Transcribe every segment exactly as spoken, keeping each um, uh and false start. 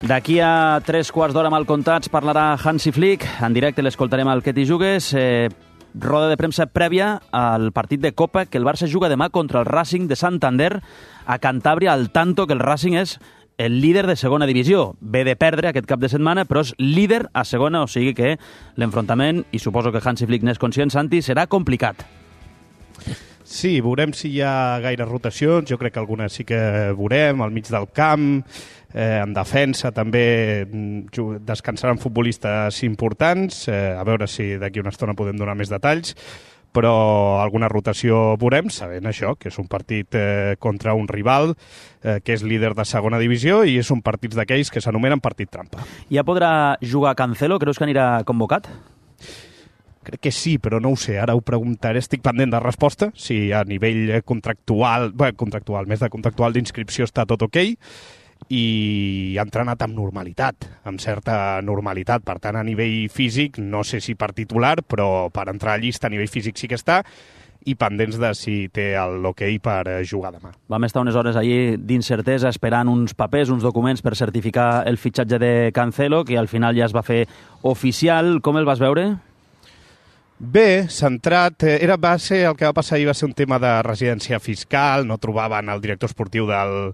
D'aquí a tres quarts d'hora mal comptats parlarà Hansi Flick. En directe l'escoltarem al Que t'hi jugues. Eh, roda de premsa prèvia al partit de Copa que el Barça juga demà contra el Racing de Santander a Cantàbria, al tanto que el Racing és el líder de segona divisió. Ve de perdre aquest cap de setmana, però és líder a segona, o sigui que l'enfrontament, i suposo que Hansi Flick n'és conscient, Santi, serà complicat. Sí, veurem si hi ha gaire rotacions. Jo crec que algunes sí que veurem, al mig del camp, eh, en defensa també descansaran futbolistes importants. Eh, a veure si d'aquí una estona podem donar més detalls, però alguna rotació veurem, sabent això, que és un partit eh, contra un rival eh, que és líder de segona divisió i és un partit d'aquells que s'anomenen partit trampa. Ja podrà jugar Cancelo? Creus que anirà convocat? Crec que sí, però no ho sé, ara ho preguntaré, estic pendent de resposta, si a nivell contractual, bé, contractual, més de contractual d'inscripció està tot ok, i ha entrenat amb normalitat, amb certa normalitat, per tant a nivell físic, no sé si per titular, però per entrar a llista a nivell físic sí que està, i pendents de si té l'ok per jugar demà. Vam estar unes hores allí d'incertesa esperant uns papers, uns documents per certificar el fitxatge de Cancelo, que al final ja es va fer oficial. Com el vas veure? Bé, centrat, era, va ser, el que va passar ahir va ser un tema de residència fiscal, no trobaven el director esportiu del,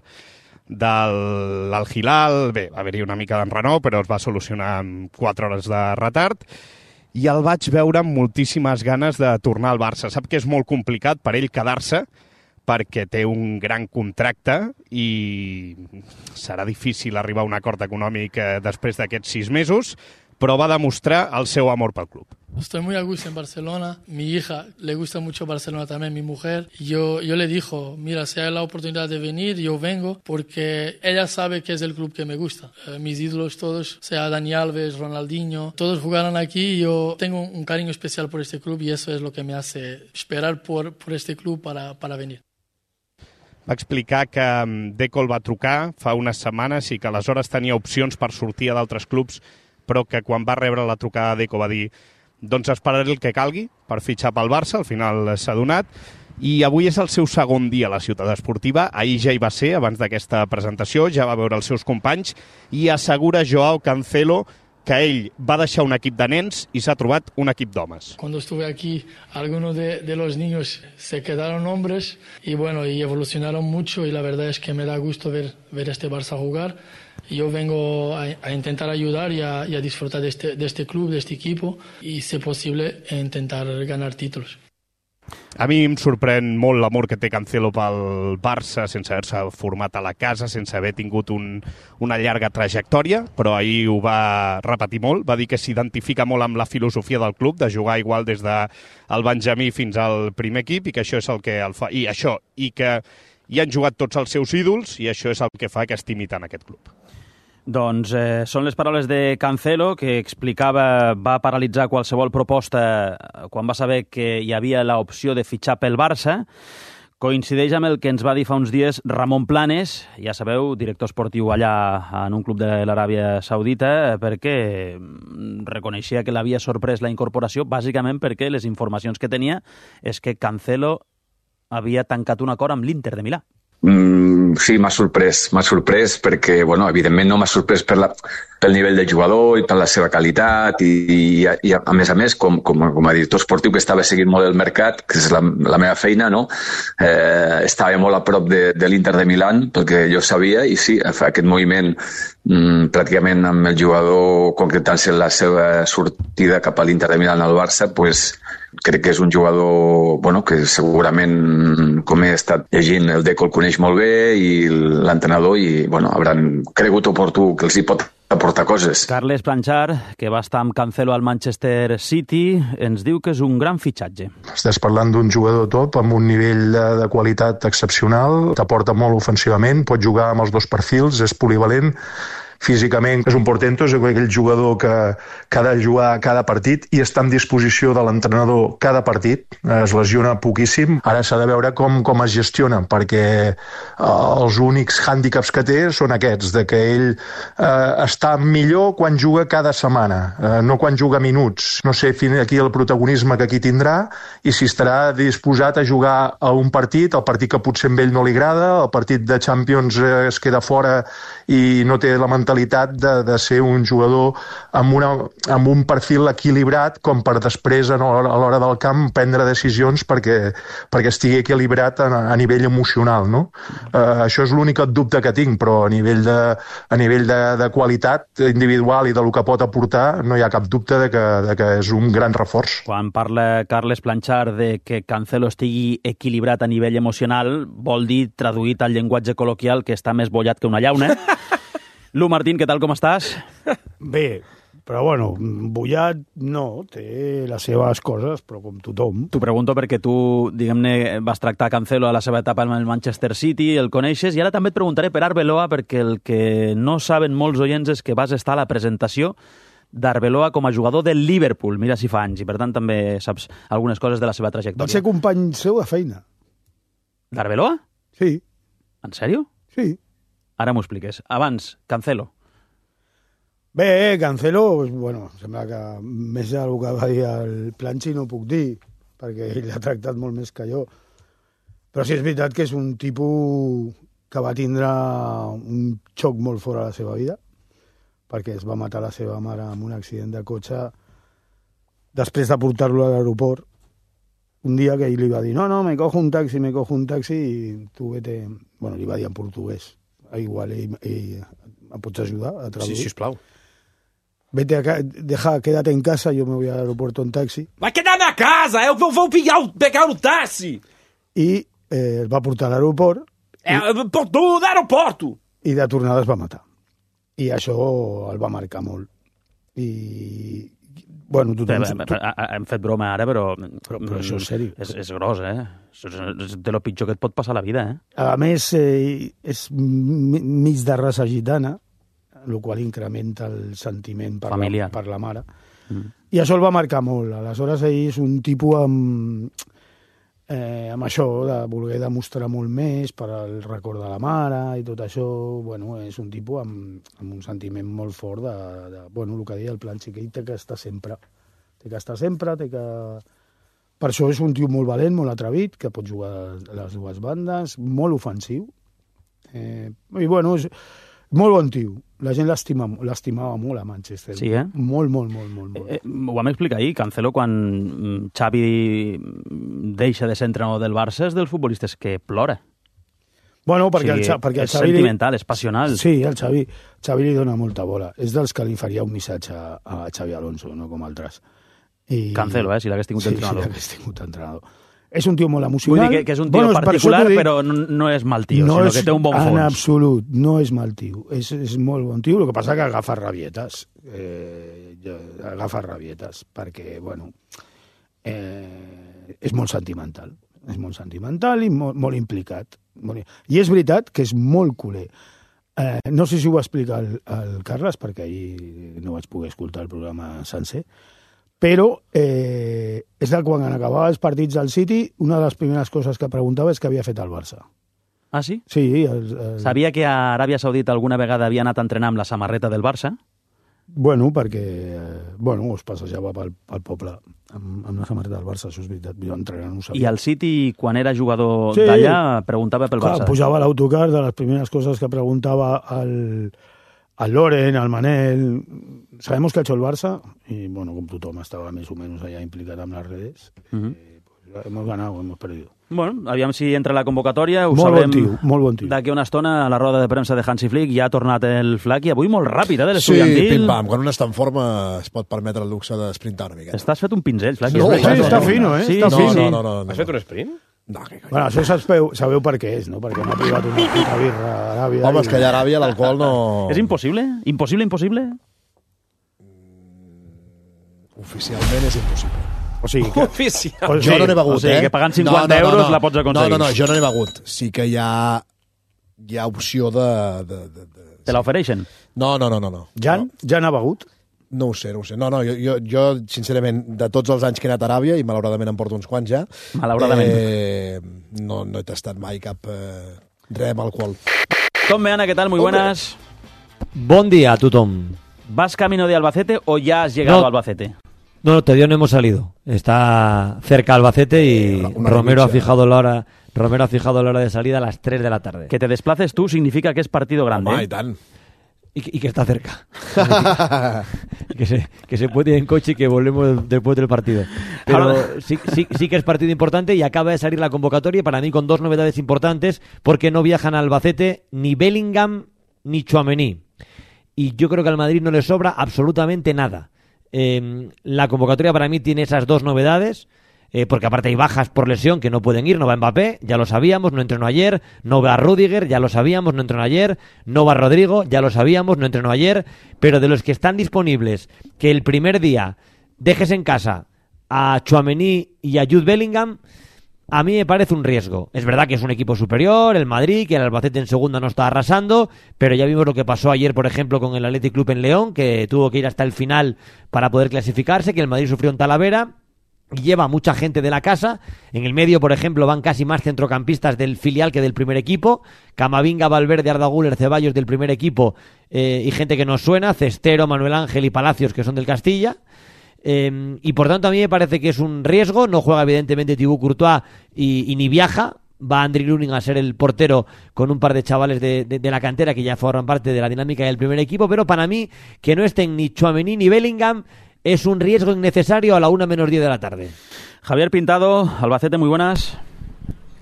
del Al Hilal, bé, va haver-hi una mica d'enrenou, però es va solucionar amb quatre hores de retard, i el vaig veure amb moltíssimes ganes de tornar al Barça. Sap que és molt complicat per ell quedar-se, perquè té un gran contracte i serà difícil arribar a un acord econòmic després d'aquests sis mesos, però va demostrar el seu amor pel club. Estoy muy a gusto en Barcelona. Mi hija le gusta mucho Barcelona también, mi mujer. Yo, yo le dijo, mira, si hay la oportunidad de venir, yo vengo, porque ella sabe que es el club que me gusta. Eh, mis ídolos todos, sea Dani Alves, Ronaldinho, todos jugaron aquí y yo tengo un cariño especial por este club y eso es lo que me hace esperar por, por este club para, para venir. Va explicar que Deco el va trucar fa unes setmanes i que aleshores tenia opcions per sortir a d'altres clubs, però que quan va rebre la trucada Deco va dir doncs esperaré el que calgui per fitxar pel Barça, al final s'ha donat, i avui és el seu segon dia a la ciutat esportiva, ahir ja hi va ser, abans d'aquesta presentació, ja va veure els seus companys, i assegura Joao Cancelo que ell va deixar un equip de nens i s'ha trobat un equip d'homes. Cuando estuve aquí, algunos de, de los niños se quedaron hombres y bueno, y evolucionaron mucho y la verdad es que me da gusto ver, ver este Barça jugar. Yo vengo a, a intentar ayudar y a, y a disfrutar de este, de este club, de este equipo y, si posible, a intentar ganar títulos. A mi em sorprèn molt l'amor que té Cancelo pel Barça, sense haver-se format a la casa, sense haver tingut un, una llarga trajectòria, però ahir ho va repetir molt, va dir que s'identifica molt amb la filosofia del club, de jugar igual des del Benjamí fins al primer equip, i que això és el que el fa, i això, i que hi han jugat tots els seus ídols, i això és el que fa que estimi tant aquest club. Doncs eh, són les paraules de Cancelo, que explicava, va paralitzar qualsevol proposta quan va saber que hi havia l'opció de fitxar pel Barça. Coincideix amb el que ens va dir fa uns dies Ramon Planes, ja sabeu, director esportiu allà en un club de l'Aràbia Saudita, perquè reconeixia que l'havia sorprès la incorporació, bàsicament perquè les informacions que tenia és que Cancelo havia tancat un acord amb l'Inter de Milà. Mm, sí, m'ha sorprès, m'ha sorprès perquè, bueno, evidentment no m'ha sorprès per la, pel nivell de jugador i per la seva qualitat i, i, i a més a més, com, com, com a director esportiu que estava seguint molt el mercat, que és la, la meva feina, no? Eh, estava molt a prop de, de l'Inter de Milán, perquè jo sabia, i sí, aquest moviment mm, pràcticament amb el jugador concretant-se la seva sortida cap a l'Inter de Milán al Barça, pues, crec que és un jugador bueno, que segurament, com he estat llegint, el Deco el coneix molt bé i l'entrenador i bueno, hauran cregut oportú que els hi pot aportar coses. Carles Planchar, que va estar amb Cancelo al Manchester City, ens diu que és un gran fitxatge. Estàs parlant d'un jugador top amb un nivell de, de qualitat excepcional, t'aporta molt ofensivament, pot jugar amb els dos perfils, és polivalent, físicament és un portento, és aquell jugador que, que ha de jugar cada partit i està en disposició de l'entrenador cada partit, es lesiona poquíssim. Ara s'ha de veure com, com es gestiona, perquè eh, els únics hàndicaps que té són aquests, de que ell eh, està millor quan juga cada setmana, eh, no quan juga minuts. No sé fins aquí el protagonisme que aquí tindrà i si estarà disposat a jugar a un partit, el partit que potser a ell no li agrada, el partit de Champions eh, es queda fora i no té la mentalitat mentalitat de, de ser un jugador amb, una, amb un perfil equilibrat com per després a l'hora del camp prendre decisions perquè, perquè estigui equilibrat a, a nivell emocional, no? Uh, això és l'únic dubte que tinc, però a nivell, de, a nivell de, de qualitat individual i de lo que pot aportar no hi ha cap dubte de que, de que és un gran reforç. Quan parla Carles Planchard de que Cancelo estigui equilibrat a nivell emocional, vol dir, traduït al llenguatge col·loquial, que està més bollat que una llauna. Lu Martín, què tal, com estàs? Bé, però bueno, bullat no, té les seves coses, però com tothom. T'ho pregunto perquè tu, diguem-ne, vas tractar Cancelo a la seva etapa amb el Manchester City, el coneixes, i ara també et preguntaré per Arbeloa, perquè el que no saben molts oients és que vas estar a la presentació d'Arbeloa com a jugador del Liverpool, mira si fa anys, i per tant també saps algunes coses de la seva trajectòria. Va ser company seu de feina. D'Arbeloa? Sí. En sèrio? Sí. Ara m'ho expliques. Abans, Cancelo. Bé, Cancelo, bueno, sembla que més del que va dir el Planchi no puc dir, perquè ell l'ha tractat molt més que jo. Però sí és veritat que és un tipus que va tindre un xoc molt fort a la seva vida, perquè es va matar la seva mare amb un accident de cotxe després de portar-lo a l'aeroport. Un dia que ell li va dir, no, no, me cojo un taxi, me cojo un taxi, i tu vete... Bueno, li va dir en portuguès. Igual, ell, ell, em pots ajudar a traduir? Sí, sisplau. Vete acá, deja, quédate en casa, yo me voy al aeropuerto en taxi. Vai quedar-me a casa, eu vou, vou pegar, pegar o táxi. I eh, el va portar a l'aeroport. Eh, por tu, d'aeroporto. I de tornada es va matar. I això el va marcar molt. I... Bueno, tothom... Bé, bé, hem fet broma ara, però... Però, però això és sèrio. És, és gros, eh? Això és de lo pitjor que et pot passar a la vida, eh? A més, eh, és mig de raça gitana, el qual incrementa el sentiment per, la, per la mare. Mm. I això el va marcar molt. Aleshores, ell és un tipus amb, eh, amb això, de voler demostrar molt més per al record de la mare i tot això. Bueno, és un tipus amb, amb un sentiment molt fort de, de bueno, el que deia el Planchi, que ell té que estar sempre. Té que estar sempre, té que... Per això és un tio molt valent, molt atrevit, que pot jugar a les dues bandes, molt ofensiu. Eh, I bueno, és molt bon tio. La gent l'estimava molt a Manchester. Sí, eh? Molt, molt, molt, molt. molt. Eh, ho vam explicar ahir. Cancelo, quan Xavi deixa de ser entrenador del Barça, és dels futbolistes que plora. Bueno, perquè, o sigui, el, perquè el és Xavi... sentimental, és passional. Sí, el Xavi, Xavi li dona molta bola. És dels que li faria un missatge a Xavi Alonso, no com altres. I... Cancelo, eh, si l'hagués tingut sí, entrenador. Sí, si l'hagués tingut entrenador. És un tio molt emocional. Vull dir que, que és un tio bueno, particular, per però no, no és mal tio, no sinó és, que té un bon fons. En absolut, no és mal tio. És, és molt bon tio, el que passa que agafa rabietes. Eh, agafa rabietes, perquè, bueno, eh, és molt sentimental. És molt sentimental i molt, molt implicat. I és veritat que és molt culer. Eh, no sé si ho va explicar el, el Carles, perquè ahir no vaig poder escoltar el programa sencer, però eh, és que quan acabava els partits del City, una de les primeres coses que preguntava és què havia fet el Barça. Ah, sí? Sí. El, el... Sabia que a Aràbia Saudita alguna vegada havia anat a entrenar amb la samarreta del Barça? Bueno, perquè eh, bueno, es passejava pel, pel poble amb, amb la samarreta del Barça, això és veritat. Jo entrenant no ho sabia. I al City, quan era jugador sí. d'allà, preguntava pel Clar, Barça. Pujava a l'autocar, de les primeres coses que preguntava al... al Loren, al Manel, sabemos que ha hecho el Barça, y bueno, como tothom estaba más o menos allá implicado en las redes, uh-huh. eh, pues hemos ganado, hemos perdido. Bueno, aviam si entra la convocatòria, ho molt sabrem bon tio, molt bon tio. D'aquí una estona a la roda de premsa de Hansi Flick, ja ha tornat el Flac, i avui molt ràpid, eh, de Sí, l'estudiantil. pim-pam, quan un està en forma es pot permetre el luxe d'esprintar una miqueta. Estàs fet un pinzell, Flac. No, és Sí, veritat, està no? fino, eh? Sí, Està No, fino. no, no, no, no. Has fet un sprint? No, que coi. Bueno, això sabeu, sabeu per què és, no? Perquè m'ha privat una puta birra a Aràbia. Home, i- és que allà a Aràbia l'alcohol no... És impossible? Impossible, impossible? Oficialment és impossible. O sigui, que... Oficial. O Jo sigui, no n'he begut, o sigui, eh? que pagant cinquanta euros la pots aconseguir. No, no, no, jo no n'he begut. Sí que hi ha, hi ha opció de... de, de, de... Te l'ofereixen? No, no, no, no. no. Jan, Jan ha begut? No ho sé, no ho sé. No, no, jo, jo, jo, sincerament, de tots els anys que he anat a Aràbia, i malauradament em porto uns quants ja, Malauradament. eh, no, no he tastat mai cap eh, res amb alcohol. Tom Meana, ¿qué tal? Muy buenas. Buen día a tothom. ¿Vas camino de Albacete o ya has llegado No. a Albacete? No, no, todavía no hemos salido. Está cerca Albacete y Eh, una Romero ha noche. fijado la hora, Romero ha fijado la hora de salida a las tres de la tarde. Que te desplaces tú significa que es partido grande. Home, ¿eh? i tant. y, y que está cerca. que, se, que se puede ir en coche y que volvemos después del partido. Pero sí, sí, sí que es partido importante y acaba de salir la convocatoria para mí con dos novedades importantes porque no viajan a Albacete ni Bellingham ni Tchouaméni. Y yo creo que al Madrid no le sobra absolutamente nada. Eh, la convocatoria para mí tiene esas dos novedades. Eh, porque aparte hay bajas por lesión que no pueden ir, no va Mbappé, ya lo sabíamos, no entrenó ayer, no va Rüdiger, ya lo sabíamos, no entrenó ayer, no va Rodrigo, ya lo sabíamos, no entrenó ayer, pero de los que están disponibles, que el primer día dejes en casa a Tchouaméni y a Jude Bellingham, a mí me parece un riesgo. Es verdad que es un equipo superior, el Madrid, que el Albacete en segunda no está arrasando, pero ya vimos lo que pasó ayer, por ejemplo, con el Athletic Club en León, que tuvo que ir hasta el final para poder clasificarse, que el Madrid sufrió en Talavera. Lleva mucha gente de la casa. En el medio, por ejemplo, van casi más centrocampistas del filial que del primer equipo. Camavinga, Valverde, Arda Güler, Ceballos del primer equipo eh, y gente que nos suena, Cestero, Manuel Ángel y Palacios, que son del Castilla. Eh, y por tanto a mí me parece que es un riesgo. No juega evidentemente Thibaut Courtois y, y ni viaja. Va Andriy Lunin a ser el portero con un par de chavales de, de, de la cantera que ya forman parte de la dinámica del primer equipo. Pero para mí, que no estén ni Tchouaméni ni Bellingham es un riesgo innecesario a la una menos diez de la tarde. Javier Pintado, Albacete, muy buenas.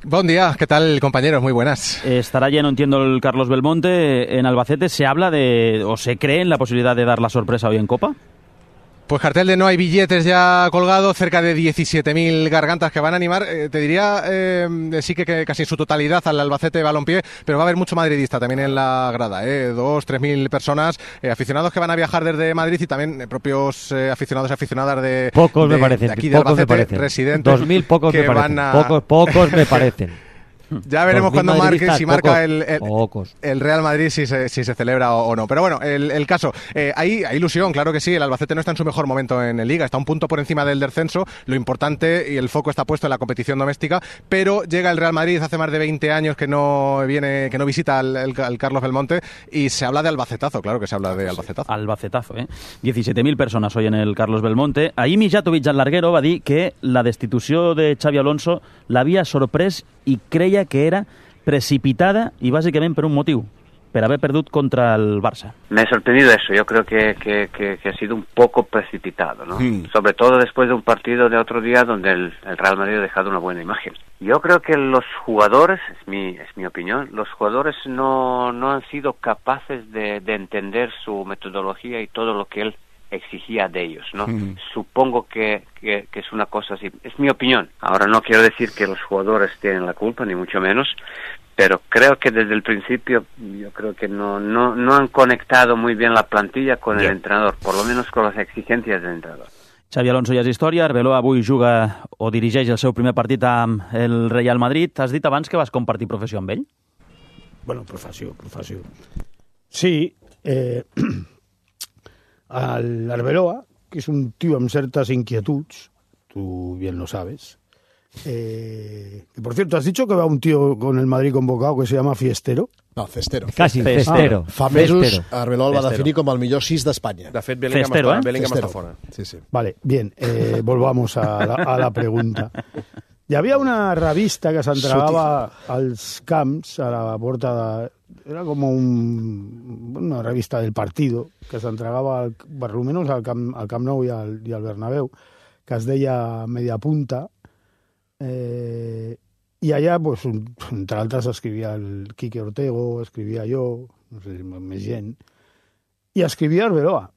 Buen día, ¿qué tal, compañeros? Muy buenas. Estará lleno, entiendo, el Carlos Belmonte en Albacete. ¿Se habla de, o se cree en la posibilidad de dar la sorpresa hoy en Copa? Pues cartel de no hay billetes ya colgado, cerca de diecisiete mil gargantas que van a animar, eh, te diría, eh, sí que, que casi en su totalidad al Albacete Balompié, pero va a haber mucho madridista también en la grada, eh, dos, tres mil personas, eh, aficionados que van a viajar desde Madrid y también eh, propios eh, aficionados y aficionadas de, pocos de, me parecen, de aquí de pocos Albacete, me parecen. residentes. Dos mil pocos me parecen, a... pocos, pocos me parecen. Ya veremos cuando marque, si marca pocos, el, el, el Real Madrid, si se, si se celebra o, o no. Pero bueno, el, el caso, eh, hay, hay ilusión, claro que sí. El Albacete no está en su mejor momento en Liga, está un punto por encima del descenso. Lo importante y el foco está puesto en la competición doméstica, pero llega el Real Madrid hace más de veinte años que no viene, que no visita al, al, al Carlos Belmonte y se habla de albacetazo, claro que se habla de albacetazo. Albacetazo, eh? diecisiete mil persones hoy en el Carlos Belmonte. Ahir Mijatovic, el larguero, va dir que la destitució de Xavi Alonso l'havia sorprès i creia que era precipitada y básicamente por un motivo, por haber perdido contra el Barça. Me ha sorprendido eso, yo creo que, que, que, que ha sido un poco precipitado, ¿no? Mm. Sobre todo después de un partido de otro día donde el, el Real Madrid ha dejado una buena imagen. Yo creo que los jugadores, es mi, es mi opinión, los jugadores no, no han sido capaces de, de entender su metodología y todo lo que él exigía de ellos, ¿no? Mm. Supongo que, que, que es una cosa así, es mi opinión. Ahora no quiero decir que los jugadores tienen la culpa, ni mucho menos, pero creo que desde el principio yo creo que no, no, no han conectado muy bien la plantilla con yeah. el entrenador, por lo menos con las exigencias del entrenador. Xavi Alonso ja és història, Arbeloa avui juga o dirigeix el seu primer partit amb el Real Madrid. Has dit abans que vas compartir professió amb ell? Bueno, professió, professió. Sí, eh... al Arbeloa, que es un tío amb certas inquietuds, tú bien lo sabes. Eh, que por cierto, ¿has dicho que va un tío con el Madrid convocado que se llama Fiestero? No, Cestero. Casi, Cestero. Ah, fa mesos Arbeloa el va definir com el millor sis d'Espanya. De fet, Bellingham, Cestero, està, eh? Bellingham està fora. Sí, sí. Vale, bien, eh, volvamos a la, a la pregunta. Hi havia una revista que s'entregava als camps, a la porta de... Era com un, una revista del partido que s'entregava al, per almenys al Camp, al Camp Nou i al, i al Bernabéu, que es deia Media Punta, eh, i allà, pues, un, entre altres, escrivia el Quique Ortego, escrivia jo, no sé si més gent, i escrivia Arbeloa.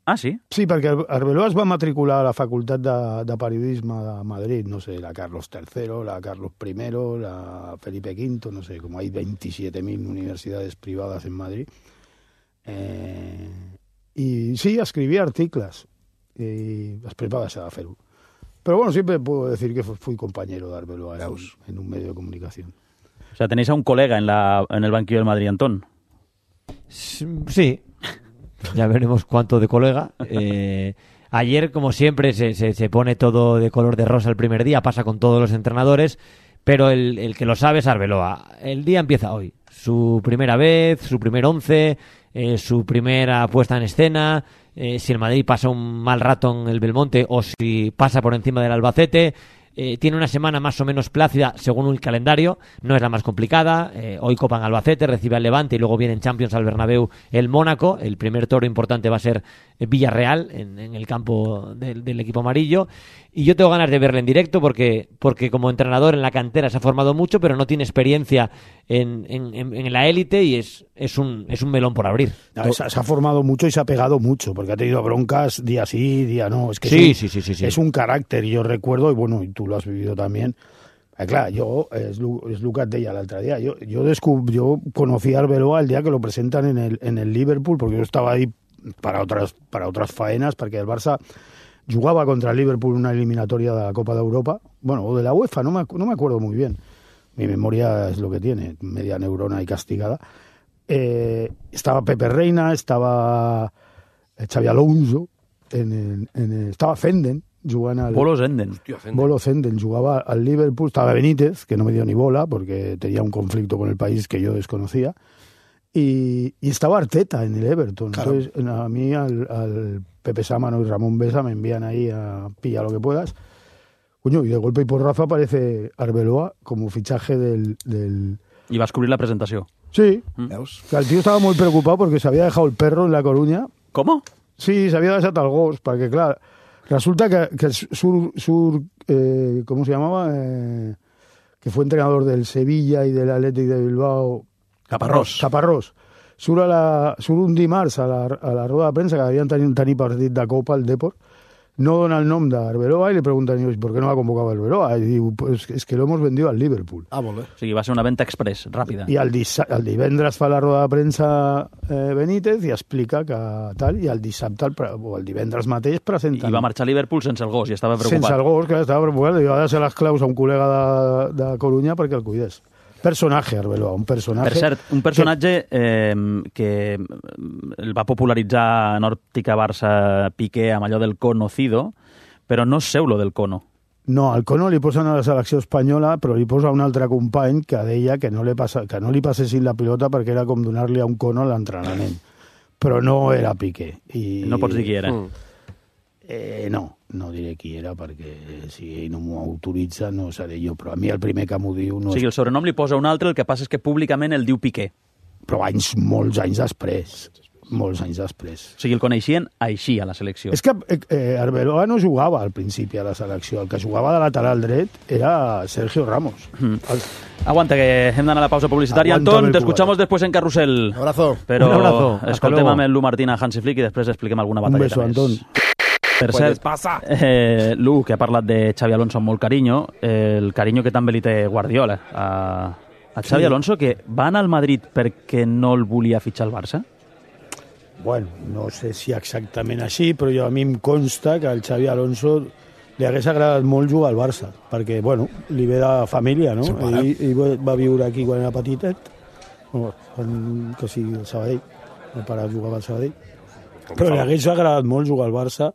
Ah, sí? Sí, perquè Arbeloa es va matricular a la Facultat de, de Periodisme de Madrid, no sé, la Carlos tercero, la Carlos primero, la Felipe quinto, no sé, como hay veintisiete mil universidades privadas en Madrid. Eh, y sí, escribía artículos y després va deixar de fer-ho. Pero bueno, siempre puedo decir que fui compañero de Arbeloa en, en un medio de comunicación. O sea, tenéis a un colega en, la, en el banquillo del Madrid, Antón. Sí. Ya veremos cuánto de colega. Eh, ayer, como siempre, se, se, se pone todo de color de rosa el primer día, pasa con todos los entrenadores, pero el, el que lo sabe es Arbeloa. El día empieza hoy. Su primera vez, su primer once, eh, su primera puesta en escena, eh, si el Madrid pasa un mal rato en el Belmonte o si pasa por encima del Albacete. Eh, tiene una semana más o menos plácida según el calendario, no es la más complicada. Eh, hoy copan Albacete, recibe al Levante y luego viene en Champions al Bernabéu el Mónaco. El primer toro importante va a ser Villarreal en, en el campo del, del equipo amarillo. Y yo tengo ganas de verle en directo porque, porque como entrenador en la cantera se ha formado mucho, pero no tiene experiencia en, en, en, en la élite y es, es, un, es un melón por abrir. No, se, se ha formado mucho y se ha pegado mucho, porque ha tenido broncas día sí, día no. Es que sí, es un, sí, sí, sí, sí. Es un carácter, y yo recuerdo, y bueno, y tú lo has vivido también. Eh, clar, jo, és, és el que et deia l'altre dia, jo, jo, descub, jo conocí a Arbeloa el día que lo presentan en el, en el Liverpool, porque yo estaba ahí para otras, para otras faenas, perquè el Barça jugaba contra el Liverpool una eliminatoria de la Copa de Europa, bueno, o de la UEFA, no me, no me acuerdo muy bien. Mi memoria es lo que tiene, media neurona y castigada. Eh, estaba Pepe Reina, estaba Xavi Alonso, en el, en el, estaba Zenden, jugant al... Bolo Zenden. Bolo Zenden jugaba al Liverpool, estaba Benítez, que no me dio ni bola, porque tenía un conflicto con el país que yo desconocía, y, y estaba Arteta en el Everton. Claro. Entonces, a mí, al, al Pepe Sámano y Ramón Besa me envían ahí a pilla lo que puedas. Coño, y de golpe y porrazo aparece Arbeloa como fichaje del... del... Y vas a cubrir la presentación. Sí, mm. que el tío estaba muy preocupado porque se había dejado el perro en La Coruña. ¿Cómo? Sí, se había dejado el gos, porque claro, resulta que, que Sur, Sur eh, ¿cómo se llamaba? Eh, que fue entrenador del Sevilla y del Athletic de Bilbao. Caparrós. Caparrós. Sur, a la, sur un dimarts a la, a la roda de premsa, que havien tenir, tenir partit de Copa al Depor, no dona el nom d'Arbeloa i li pregunten, ¿por qué no ha convocado a Arbeloa? Y diu, pues es que lo hemos vendido al Liverpool. Ah, molt bé. O sigui, va ser una venta express, ràpida. I el, el divendres fa la roda de premsa eh, Benítez i explica que tal, i el dissabte el, o el divendres mateix presenten... I va marxar a Liverpool sense el gos i estava preocupat. Sense el gos, que estava preocupat, i va deixar les claus a un col·lega de, de Coruña perquè el cuidés. Personatge, Arbeloa, un personatge... Per cert, un personatge eh, que el va popularitzar en òptica Barça Piqué amb allò del conocido, però no seu lo del cono. No, al cono li posen a la selecció espanyola, però li posa un altre company que deia que no li, passa, que no li passessin la pilota perquè era com donar-li a un cono a l'entrenament. Però no era Piqué. I... No pots dir qui era. Mm. Eh, no, no diré qui era, perquè si ell no m'ho autoritza no seré jo, però a mi el primer que m'ho diu... No o sigui, el sobrenom li posa un altre, el que passa és que públicament el diu Piqué. Però anys, molts anys després. Molts anys després. O sigui, el coneixien així a la selecció. És que eh, Arbeloa no jugava al principi a la selecció. El que jugava de lateral dret era Sergio Ramos. Mm. El... Aguanta, que hem d'anar a la pausa publicitària. Antón, te escuchamos después en Carrusel. Un abrazo. Però un abrazo. escoltem amb el Lu Martín a Hansi Flick i després expliquem alguna batalleta més. Un beso, Antón. Per cert, eh, Lu, que ha parlat de Xavi Alonso amb molt carinyo, eh, el carinyo que també li té Guardiola a, a Xavi sí. Alonso, que va anar al Madrid perquè no el volia fitxar al Barça? Bueno, no sé si exactament així, però jo, a mi em consta que al Xavi Alonso li hagués agradat molt jugar al Barça, perquè, bueno, li ve de família, no? Ell, ell va viure aquí quan era petitet, bueno, que sigui el Sabadell, el pare jugava al Sabadell, però li hagués agradat molt jugar al Barça,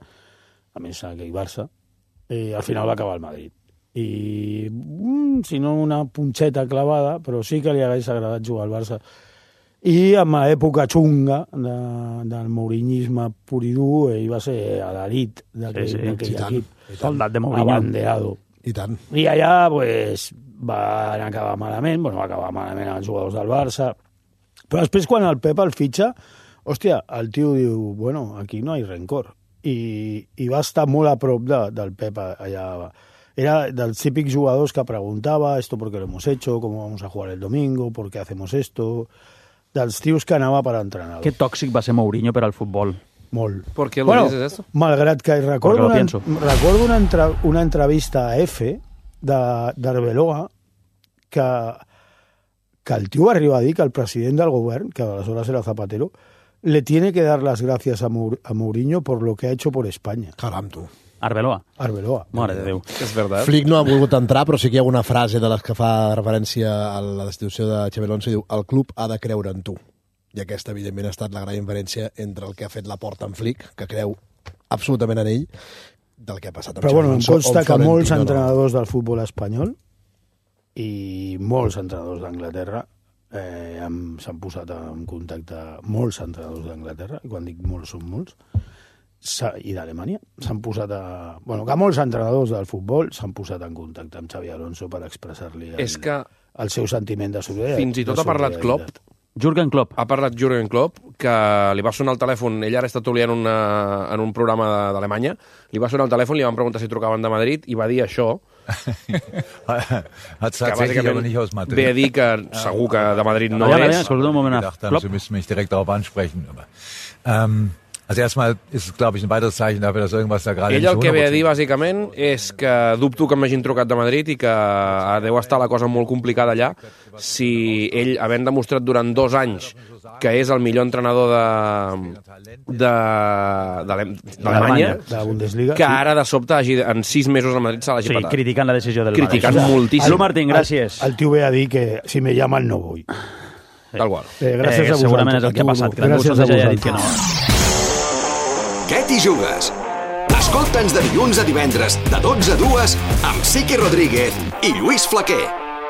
a més aquell Barça, i al final va acabar al Madrid. I, mm, si no una punxeta clavada, però sí que li hagués agradat jugar al Barça. I amb l'època xunga de, del mourinyisme pur i dur, ell va ser a l'elit d'aquell sí, sí, equip. Soldat de Mourinho. Abanderado. I tant. I allà pues, van acabar malament, bueno, va acabar malament els jugadors del Barça, però després quan el Pep el fitxa, hòstia, el tio diu, bueno, aquí no hi ha rencor. I, i va estar molt a prop de, del Pep allà. Era dels típics jugadors que preguntava esto por qué lo hemos hecho, cómo vamos a jugar el domingo, por qué hacemos esto... Dels tios que anava per entrenar. Que tòxic va ser Mourinho per al futbol. Molt. ¿Por qué lo bueno, dices eso? Malgrat que recordo, una, recordo una, entra, una entrevista a F d'Arbeloa que, que el tio va arribar a dir que el president del govern, que aleshores era Zapatero, le tiene que dar las gracias a, Mour a Mourinho por lo que ha hecho por España. Caram, tu. Arbeloa. Arbeloa. Mare de Déu. És verdad. Flick no ha volgut entrar, però sí que hi ha una frase de les que fa referència a la destitució de Xabi Alonso i diu el club ha de creure en tu. I aquesta, evidentment, ha estat la gran inferència entre el que ha fet la porta en Flick, que creu absolutament en ell, del que ha passat amb però, Xabi bueno, Alonso. Però bueno, em consta que molts no, entrenadors del futbol espanyol i molts entrenadors d'Anglaterra eh, s'han posat en contacte molts entrenadors d'Anglaterra, i quan dic molts són molts, i d'Alemanya s'han posat a... Bueno, que molts entrenadors del futbol s'han posat en contacte amb Xabi Alonso per expressar-li el, és que el seu sentiment de solidaritat. Fins i tot ha parlat Klopp. Jürgen Klopp. Ha parlat Jürgen Klopp, que li va sonar el telèfon, ell ara està toliant una, en un programa d'Alemanya, li va sonar el telèfon, li van preguntar si trucaven de Madrid, i va dir això, Hat tatsächlich aber nicht aus Madrid. Ve a dir que segur que de Madrid no ja, és. Ja, escolta un moment. Ich dachte, Sie müssen mich direkt darauf ansprechen. Aber, ähm, Also erstmal ist es, glaube ich, ein weiteres Zeichen dafür, dass irgendwas da gerade... Ell el que ve a dir, bàsicament, és que dubto que m'hagin trucat de Madrid i que deu estar la cosa molt complicada allà si ell, havent demostrat durant dos anys que és el millor entrenador de d'Alemanya, que ara de sobte hagi, en sis mesos al Madrid se l'hagi sí, patat. criticant la decisió del criticant Madrid. moltíssim. Alú Martín, gràcies. El, el tio ve a dir que si me llaman no voy. Tal qual. Eh, gràcies eh, a vosaltres. Segurament és el que ha passat, que gràcies a a ja ha dit que no. Què t'hi jugues? Escolta'ns de dilluns a divendres, de dotze a dues, amb Siqui Rodríguez i Lluís Flaquer.